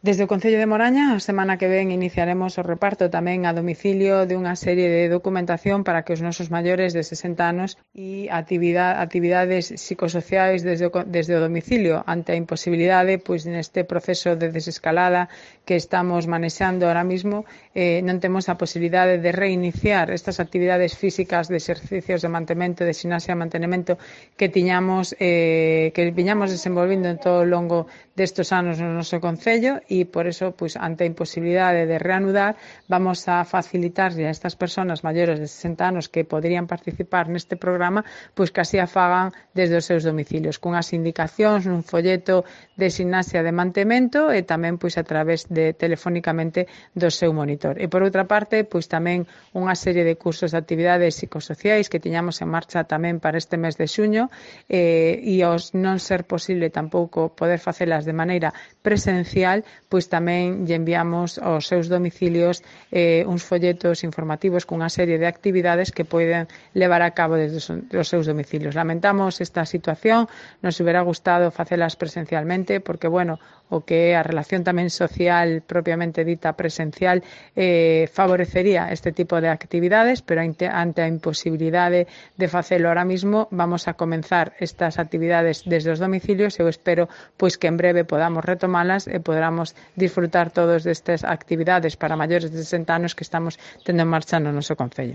Desde o Concello de Moraña, a semana que ven iniciaremos o reparto tamén a domicilio de unha serie de documentación para que os nosos maiores de 60 anos e actividades psicosociais desde o domicilio ante a imposibilidade, pois neste proceso de desescalada que estamos manexando ahora mismo, non temos a posibilidade de reiniciar estas actividades físicas de exercicios de mantemento, de ximnasia e mantenimento que viñamos desenvolvendo en todo o longo destes anos no noso Concello e por eso, pois, ante a imposibilidade de reanudar, vamos a facilitarlle a estas persoas maiores de 60 anos que poderían participar neste programa, pois que así a fagan desde os seus domicilios, cunhas indicacións nun folleto de ximnasia de mantemento e tamén pois a través de telefónicamente do seu monitor. E por outra parte, pois tamén unha serie de cursos de actividades psicosociais que tiñamos en marcha tamén para este mes de xuño e aos non ser posible tampouco poder facelas de maneira presencial, pois tamén lle enviamos aos seus domicilios uns folletos informativos cunha serie de actividades que poden levar a cabo desde os seus domicilios. Lamentamos esta situación, nos hubiera gustado facelas presencialmente porque, bueno, o que é a relación tamén social propiamente dita presencial favorecería este tipo de actividades, pero ante a imposibilidade de facelo ahora mismo vamos a comenzar estas actividades desde os domicilios e eu espero pois que en breve podamos retomalas e podamos disfrutar todos destas actividades para maiores de 60 anos que estamos tendo en marcha no noso Concello.